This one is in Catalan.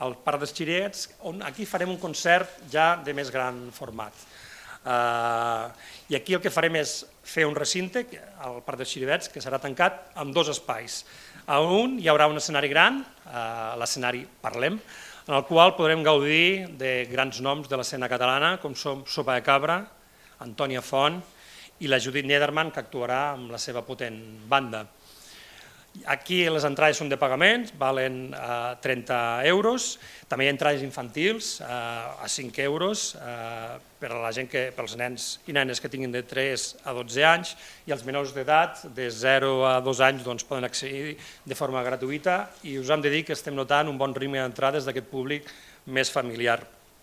al Parc dels Xirets, on aquí farem un concert ja de més gran format. I aquí el que farem és fer un recinte, al Parc dels Xirivets, que serà tancat amb dos espais. A un hi haurà un escenari gran, l'escenari Parlem, en el qual podrem gaudir de grans noms de l'escena catalana, com són Sopa de Cabra, Antònia Font i la Judit Niederman, que actuarà amb la seva potent banda. Aquí les entrades són de pagament, valen 30 euros, també hi ha entrades infantils a 5 euros per a la gent pels nens i nenes que tinguin de 3 a 12 anys i els menors d'edat de 0 a 2 anys poden accedir de forma gratuïta i us hem de dir que estem notant un bon ritme d'entrades d'aquest públic més familiar.